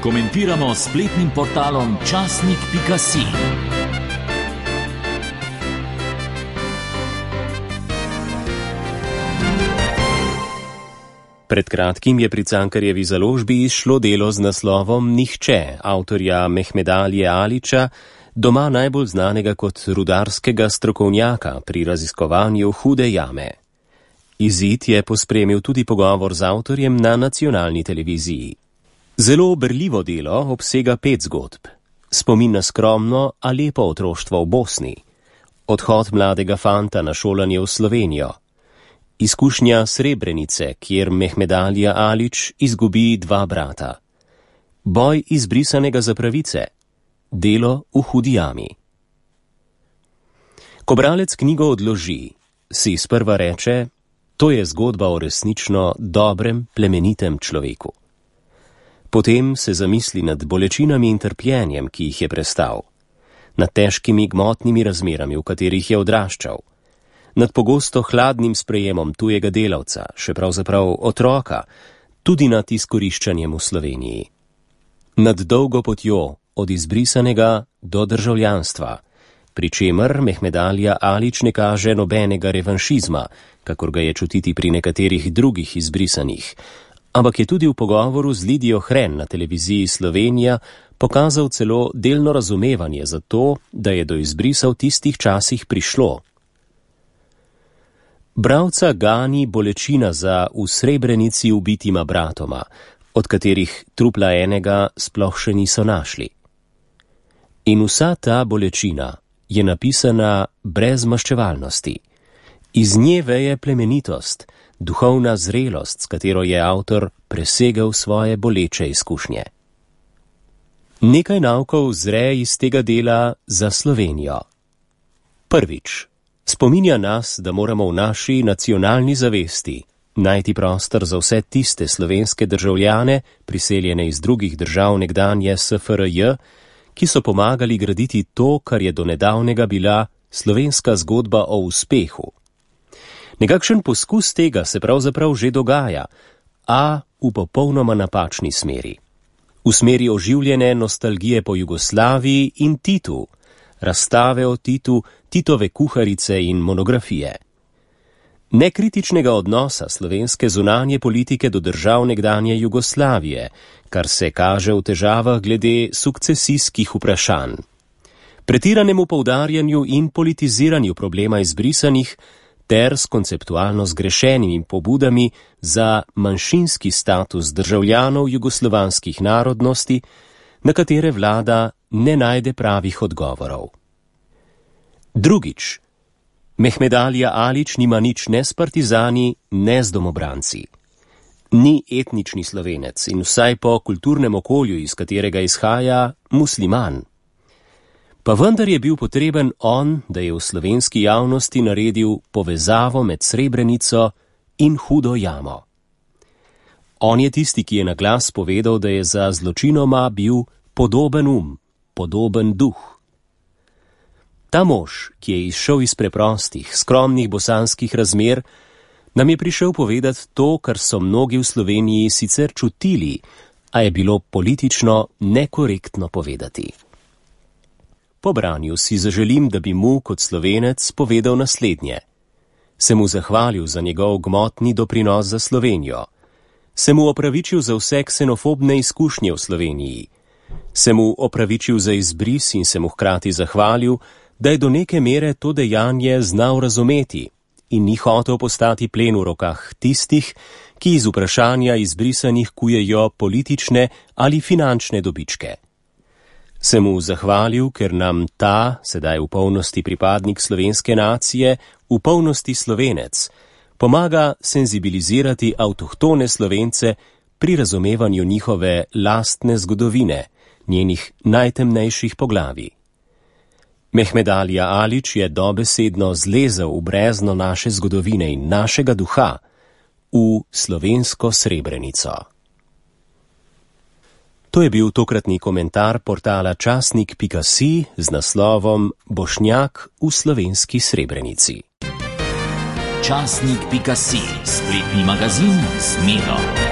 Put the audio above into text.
komentiramo s spletnim portalom časnik.si. Pred kratkim je pri Cankarjevi založbi izšlo delo z naslovom Nihče, avtorja Mehmeda Alije Alića, doma najbolj znanega kot rudarskega strokovnjaka pri raziskovanju Hude jame. Izid je pospremil tudi pogovor z avtorjem na nacionalni televiziji. Zelo berljivo delo obsega 5 zgodb. Spomin na skromno, a lepo otroštvo v Bosni, odhod mladega fanta na šolanje v Slovenijo, izkušnja Srebrenice, kjer Mehmed Alija Alić izgubi 2 brata, boj izbrisanega za pravice, delo v Hudi jami. Ko bralec knjigo odloži, si sprva reče, to je zgodba o resnično dobrem, plemenitem človeku. Potem se zamisli nad bolečinami in trpljenjem, ki jih je prestal, nad težkimi gmotnimi razmerami, v katerih je odraščal, nad pogosto hladnim sprejemom tujega delavca, še pravzaprav otroka, tudi nad izkoriščanjem v Sloveniji. Nad dolgo potjo od izbrisanega do državljanstva, pri čemer Mehmed Alija Alić ne kaže nobenega revanšizma, kakor ga je čutiti pri nekaterih drugih izbrisanih, ampak je tudi v pogovoru z Lidijo Hren na televiziji Slovenija pokazal celo delno razumevanje za to, da je do izbrisa v tistih časih prišlo. Bralca gani bolečina za v Srebrenici ubitima bratoma, od katerih trupla enega sploh še niso našli. In vsa ta bolečina je napisana brez maščevalnosti. Iz nje veje plemenitost, duhovna zrelost, s katero je avtor presegel svoje boleče izkušnje. Nekaj naukov zre iz tega dela za Slovenijo. Prvič, spominja nas, da moramo v naši nacionalni zavesti najti prostor za vse tiste slovenske državljane, priseljene iz drugih držav nekdanje SFRJ, ki so pomagali graditi to, kar je do nedavnega bila slovenska zgodba o uspehu. Nekakšen poskus tega se pravzaprav že dogaja, a v popolnoma napačni smeri. V smeri oživljene nostalgije po Jugoslaviji in Titu, razstave o Titu, Titove kuharice in monografije. Nekritičnega odnosa slovenske zunanje politike do držav nekdanje Jugoslavije, kar se kaže v težavah glede sukcesijskih vprašanj. Pretiranemu poudarjanju in politiziranju problema izbrisanih ter s konceptualno zgrešenimi pobudami za manjšinski status državljanov jugoslovanskih narodnosti, na katere vlada ne najde pravih odgovorov. Drugič, Mehmed Alija Alić nima nič ne s partizani, ne z domobranci. Ni etnični Slovenec in vsaj po kulturnem okolju, iz katerega izhaja, musliman. Pa vendar je bil potreben on, da je v slovenski javnosti naredil povezavo med Srebrenico in Hudo jamo. On je tisti, ki je na glas povedal, da je za zločinoma bil podoben podoben duh. Ta mož, ki je izšel iz preprostih, skromnih bosanskih razmer, nam je prišel povedati to, kar so mnogi v Sloveniji sicer čutili, a je bilo politično nekorektno povedati. Po branju si zaželim, da bi mu kot Slovenec povedal naslednje. Se mu zahvalil za njegov gmotni doprinos za Slovenijo. Se mu opravičil za vse ksenofobne izkušnje v Sloveniji. Se mu opravičil za izbris in se mu hkrati zahvalil, da je do neke mere to dejanje znal razumeti in ni hotel postati plen v rokah tistih, ki iz vprašanja izbrisanih kujejo politične ali finančne dobičke. Se mu zahvalil, ker nam ta, sedaj v polnosti pripadnik slovenske nacije, v polnosti Slovenec, pomaga senzibilizirati avtohtone Slovence pri razumevanju njihove lastne zgodovine, njenih najtemnejših poglavij. Mehmed Alija Alić je dobesedno zlezel v brezno naše zgodovine in našega duha, v slovensko Srebrenico. To je bil tokratni komentar portala časnik.si z naslovom Bošnjak v slovenski Srebrenici. Časnik.si, spletni magazin z Miro.